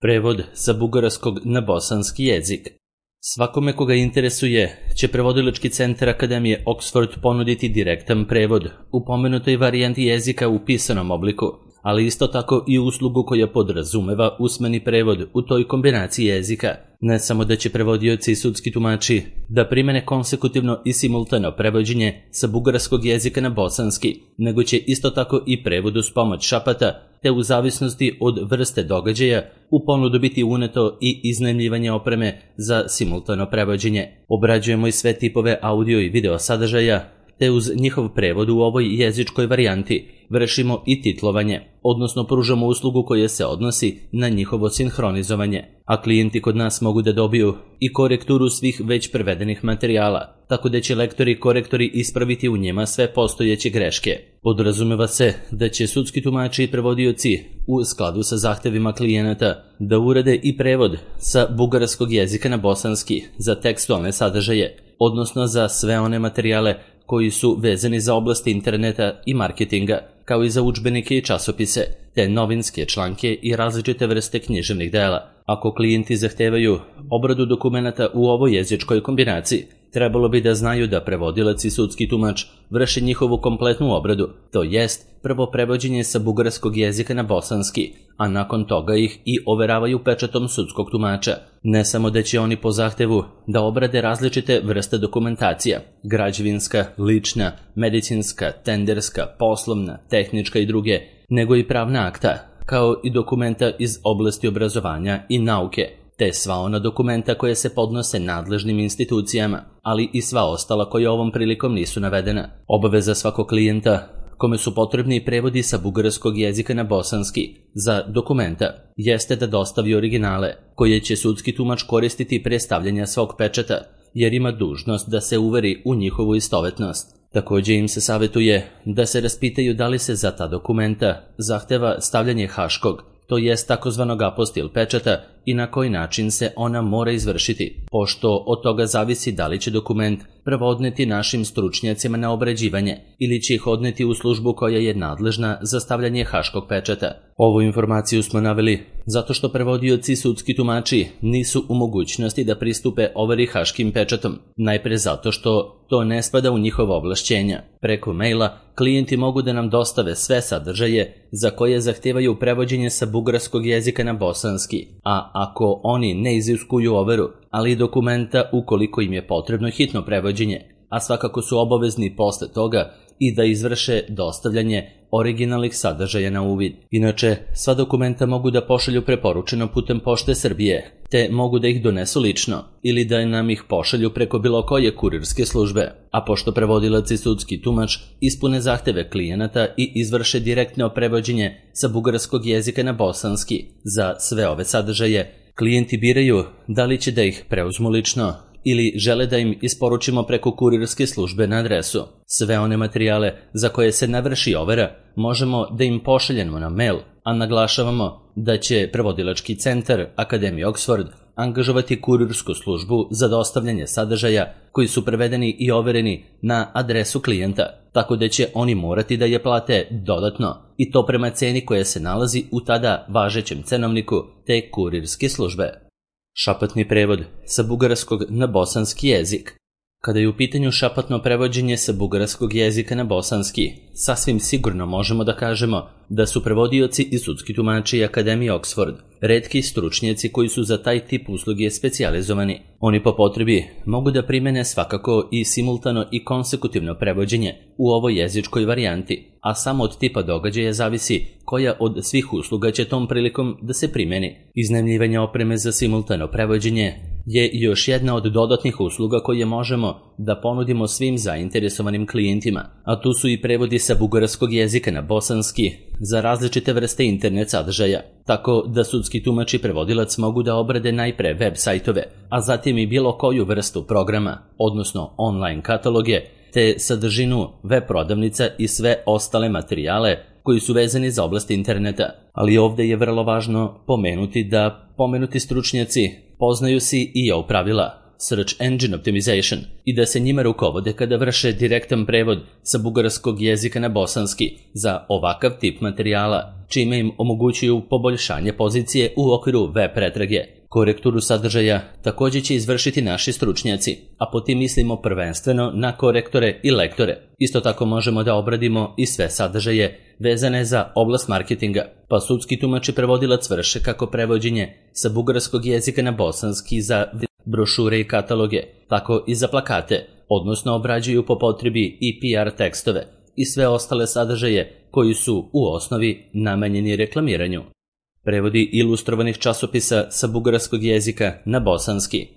Prevod sa bugarskog na bosanski jezik. Svakome koga interesuje će prevodilački centar Akademije Oxford ponuditi direktan prevod u pomenutoj varijanti jezika u pisanom obliku, ali isto tako i uslugu koja podrazumeva usmeni prevod u toj kombinaciji jezika. Ne samo da će prevodioci i sudski tumači da primene konsekutivno i simultano prevođenje sa bugarskog jezika na bosanski, nego će isto tako i prevod uz pomoć šapata, te u zavisnosti od vrste događaja u ponudu biti uneto i iznajmljivanje opreme za simultano prevođenje. Obrađujemo i sve tipove audio i video sadržaja, te uz njihov prevod u ovoj jezičkoj varijanti vršimo i titlovanje, odnosno pružamo uslugu koja se odnosi na njihovo sinhronizovanje, a klijenti kod nas mogu da dobiju i korekturu svih već prevedenih materijala, tako da će lektori i korektori ispraviti u njima sve postojeće greške. Podrazumeva se da će sudski tumači i prevodioci u skladu sa zahtevima klijenata da urade i prevod sa bugarskog jezika na bosanski za tekstualne sadržaje, odnosno za sve one materijale koji su vezani za oblasti interneta i marketinga, kao i za udžbenike i časopise, te novinske članke i različite vrste književnih dela. Ako klijenti zahtevaju obradu dokumenata u ovoj jezičkoj kombinaciji, trebalo bi da znaju da prevodilac i sudski tumač vrše njihovu kompletnu obradu, to jest prvo prevođenje sa bugarskog jezika na bosanski, a nakon toga ih i overavaju pečatom sudskog tumača. Ne samo da će oni po zahtevu da obrade različite vrste dokumentacija, građevinska, lična, medicinska, tenderska, poslovna, tehnička i druge, nego i pravna akta, kao i dokumenta iz oblasti obrazovanja i nauke, te sva ona dokumenta koje se podnose nadležnim institucijama, ali i sva ostala koja ovom prilikom nisu navedena. Obaveza svakog klijenta kome su potrebni prevodi sa bugarskog jezika na bosanski za dokumenta jeste da dostavi originale koje će sudski tumač koristiti pre stavljanja svog pečata, jer ima dužnost da se uveri u njihovu istovetnost. Također im se savjetuje da se raspitaju da li se za ta dokumenta zahteva stavljanje haškog, to jest takozvanog apostil pečata, i na koji način se ona mora izvršiti, pošto od toga zavisi da li će dokument prvo odneti našim stručnjacima na obrađivanje ili će ih odneti u službu koja je nadležna za stavljanje haškog pečata. Ovu informaciju smo naveli zato što prevodioci i sudski tumači nisu u mogućnosti da pristupe overi haškim pečatom, najpre zato što to ne spada u njihova ovlašćenja. Preko maila klijenti mogu da nam dostave sve sadržaje za koje zahtevaju prevođenje sa bugarskog jezika na bosanski, a ako oni ne iziskuju overu, ali i dokumenta ukoliko im je potrebno hitno prevođenje, a svakako su obavezni posle toga i da izvrše dostavljanje originalnih sadržaja na uvid. Inače, sva dokumenta mogu da pošalju preporučeno putem Pošte Srbije, te mogu da ih donesu lično ili da nam ih pošalju preko bilo koje kurirske službe. A pošto prevodilac i sudski tumač ispune zahteve klijenata i izvrše direktno prevođenje sa bugarskog jezika na bosanski za sve ove sadržaje, klijenti biraju da li će da ih preuzmu lično ili žele da im isporučimo preko kurirske službe na adresu. Sve one materijale za koje se ne vrši overa možemo da im pošaljemo na mail, a naglašavamo da će prevodilački centar Akademije Oxford angažovati kurirsku službu za dostavljanje sadržaja koji su prevedeni i overeni na adresu klijenta, tako da će oni morati da je plate dodatno, i to prema ceni koja se nalazi u tada važećem cenovniku te kurirske službe. Šapatni prevod sa bugarskog na bosanski jezik. Kada je u pitanju šapatno prevođenje sa bugarskog jezika na bosanski, sasvim sigurno možemo da kažemo da su prevodioci i sudski tumači Akademije Oxford retki stručnjaci koji su za taj tip usluge specijalizovani. Oni po potrebi mogu da primene svakako i simultano i konsekutivno prevođenje u ovoj jezičkoj varijanti, a samo od tipa događaja zavisi koja od svih usluga će tom prilikom da se primeni. Iznajmljivanje opreme za simultano prevođenje je još jedna od dodatnih usluga koje možemo da ponudimo svim zainteresovanim klijentima, a tu su i prevodi sa bugarskog jezika na bosanski za različite vrste internet sadržaja, tako da sudski tumač i prevodilac mogu da obrade najpre web sajtove, a zatim i bilo koju vrstu programa, odnosno online kataloge, te sadržinu web prodavnica i sve ostale materijale koji su vezani za oblast interneta. Ali ovdje je vrlo važno pomenuti da pomenuti stručnjaci poznaju si i EU pravila, Search Engine Optimization, i da se njima rukovode kada vrše direktan prevod sa bugarskog jezika na bosanski za ovakav tip materijala, čime im omogućuju poboljšanje pozicije u okviru web pretrage. Korekturu sadržaja također će izvršiti naši stručnjaci, a po tim mislimo prvenstveno na korektore i lektore. Isto tako možemo da obradimo i sve sadržaje vezane za oblast marketinga, pa sudski tumač i prevodilac vrše kako prevođenje sa bugarskog jezika na bosanski za brošure i kataloge, tako i za plakate, odnosno obrađuju po potrebi i PR tekstove i sve ostale sadržaje koji su u osnovi namenjeni reklamiranju. Prevodi ilustrovanih časopisa sa bugarskog jezika na bosanski.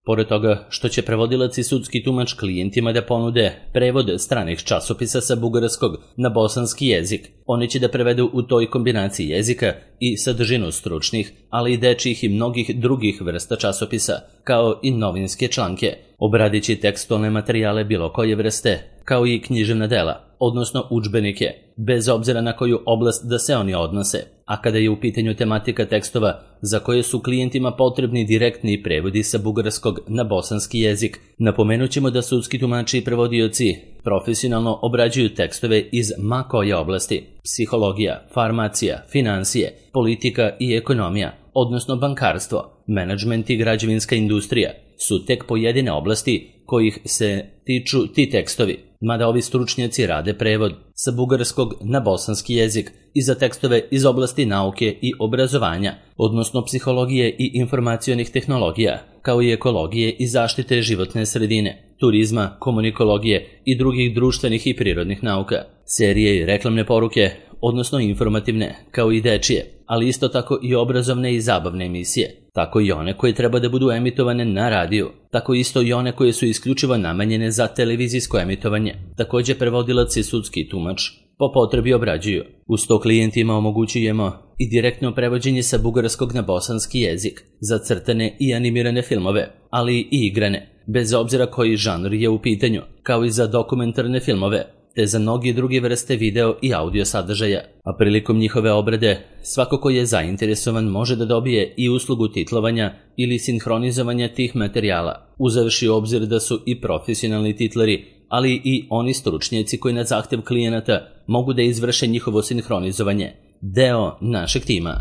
Pored toga što će prevodilac i sudski tumač klijentima da ponude prevod stranih časopisa sa bugarskog na bosanski jezik, oni će da prevedu u toj kombinaciji jezika i sadržinu stručnih, ali i dečjih i mnogih drugih vrsta časopisa, kao i novinske članke, obradići tekstualne materijale bilo koje vrste, kao i književna dela, odnosno udžbenike, bez obzira na koju oblast da se oni odnose, a kada je u pitanju tematika tekstova za koje su klijentima potrebni direktni prevodi sa bugarskog na bosanski jezik, napomenut ćemo da sudski tumači i prevodioci profesionalno obrađuju tekstove iz ma koje oblasti: psihologija, farmacija, financije, politika i ekonomija, odnosno bankarstvo, menadžment i građevinska industrija su tek pojedine oblasti kojih se tiču ti tekstovi, mada ovi stručnjaci rade prevod sa bugarskog na bosanski jezik i za tekstove iz oblasti nauke i obrazovanja, odnosno psihologije i informacionih tehnologija, kao i ekologije i zaštite životne sredine, turizma, komunikologije i drugih društvenih i prirodnih nauka, serije i reklamne poruke, odnosno informativne, kao i dečije, ali isto tako i obrazovne i zabavne emisije, tako i one koje treba da budu emitovane na radiju, tako isto i one koje su isključivo namenjene za televizijsko emitovanje. Također prevodilac i sudski tumač po potrebi obrađuju. Uz to klijentima omogućujemo i direktno prevođenje sa bugarskog na bosanski jezik za crtane i animirane filmove, ali i igrane, bez obzira koji žanr je u pitanju, kao i za dokumentarne filmove, te za mnogi druge vrste video i audio sadržaja, a prilikom njihove obrade svako ko je zainteresovan može da dobije i uslugu titlovanja ili sinhronizovanja tih materijala, uzevši u obzir da su i profesionalni titlari, ali i oni stručnjaci koji na zahtev klijenata mogu da izvrše njihovo sinhronizovanje, deo našeg tima.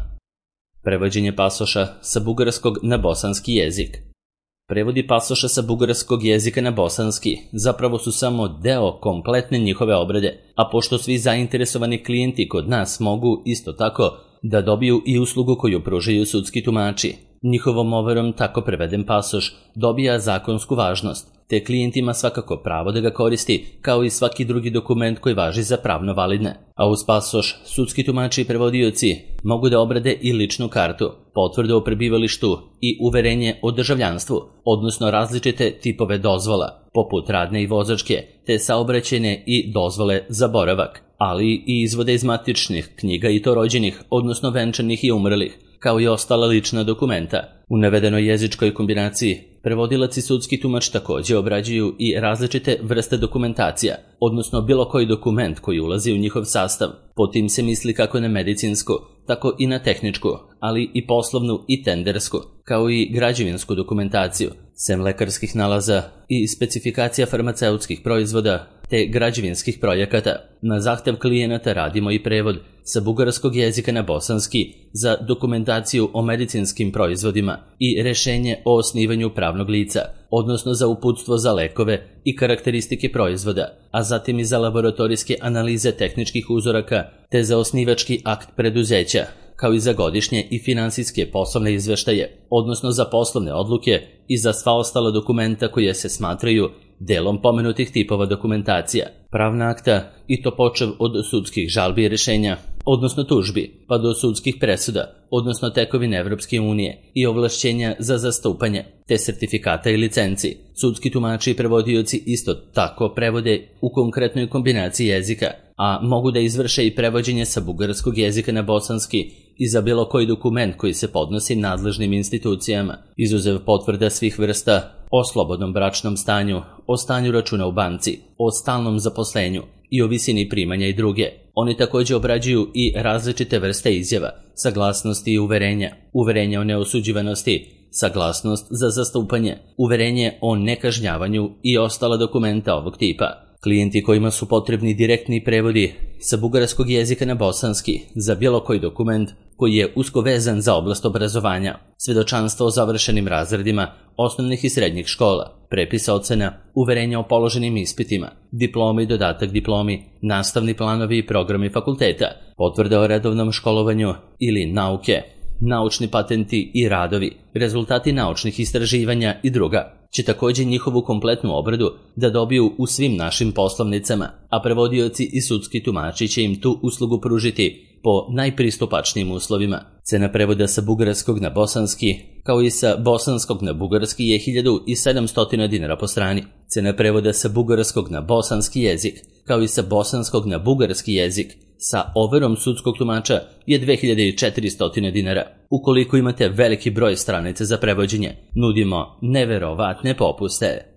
Prevođenje pasoša sa bugarskog na bosanski jezik. Prevodi pasoša sa bugarskog jezika na bosanski zapravo su samo deo kompletne njihove obrade, a pošto svi zainteresovani klijenti kod nas mogu isto tako da dobiju i uslugu koju pružaju sudski tumači, njihovom overom tako preveden pasoš dobija zakonsku važnost, te klijent ima svakako pravo da ga koristi kao i svaki drugi dokument koji važi za pravno validne. A uz pasoš sudski tumači i prevodioci mogu da obrade i ličnu kartu, potvrdu o prebivalištu i uverenje o državljanstvu, odnosno različite tipove dozvola, poput radne i vozačke, te saobraćajne i dozvole za boravak, ali i izvode iz matičnih knjiga i to rođenih, odnosno venčanih i umrlih, kao i ostala lična dokumenta. U navedenoj jezičkoj kombinaciji prevodilac i sudski tumač također obrađuju i različite vrste dokumentacija, odnosno bilo koji dokument koji ulazi u njihov sastav. Po tim se misli kako na medicinsku, tako i na tehničku, ali i poslovnu i tendersku, kao i građevinsku dokumentaciju, sem lekarskih nalaza i specifikacija farmaceutskih proizvoda te građevinskih projekata. Na zahtev klijenata radimo i prevod sa bugarskog jezika na bosanski za dokumentaciju o medicinskim proizvodima i rešenje o osnivanju pravnog lica, odnosno za uputstvo za lekove i karakteristike proizvoda, a zatim i za laboratorijske analize tehničkih uzoraka te za osnivački akt preduzeća, kao i za godišnje i finansijske poslovne izveštaje, odnosno za poslovne odluke i za sva ostala dokumenta koje se smatraju delom pomenutih tipova dokumentacija, pravna akta i to počev od sudskih žalbi i rešenja, odnosno tužbi, pa do sudskih presuda, odnosno tekovine Evropske unije i ovlašćenja za zastupanje, te sertifikata i licenci. Sudski tumači i prevodioci isto tako prevode u konkretnoj kombinaciji jezika, a mogu da izvrše i prevođenje sa bugarskog jezika na bosanski i za bilo koji dokument koji se podnosi nadležnim institucijama, izuzev potvrda svih vrsta o slobodnom bračnom stanju, o stanju računa u banci, o stalnom zaposlenju i o visini primanja i druge. Oni također obrađuju i različite vrste izjava, saglasnosti i uverenja, uverenja o neosuđivanosti, saglasnost za zastupanje, uverenje o nekažnjavanju i ostala dokumenta ovog tipa. Klijenti kojima su potrebni direktni prevodi sa bugarskog jezika na bosanski za bilo koji dokument koji je usko vezan za oblast obrazovanja, svedočanstvo o završenim razredima osnovnih i srednjih škola, prepisa ocena, uverenja o položenim ispitima, diplomi i dodatak diplomi, nastavni planovi i programi fakulteta, potvrde o redovnom školovanju ili nauke, naučni patenti i radovi, rezultati naučnih istraživanja i druga, će također njihovu kompletnu obradu da dobiju u svim našim poslovnicama, a prevodioci i sudski tumači će im tu uslugu pružiti po najpristupačnijim uslovima. Cena prevoda sa bugarskog na bosanski, kao i sa bosanskog na bugarski, je 1700 dinara po strani. Cena prevoda sa bugarskog na bosanski jezik, kao i sa bosanskog na bugarski jezik, sa overom sudskog tumača je 2400 dinara. Ukoliko imate veliki broj stranica za prevođenje, nudimo neverovatne popuste.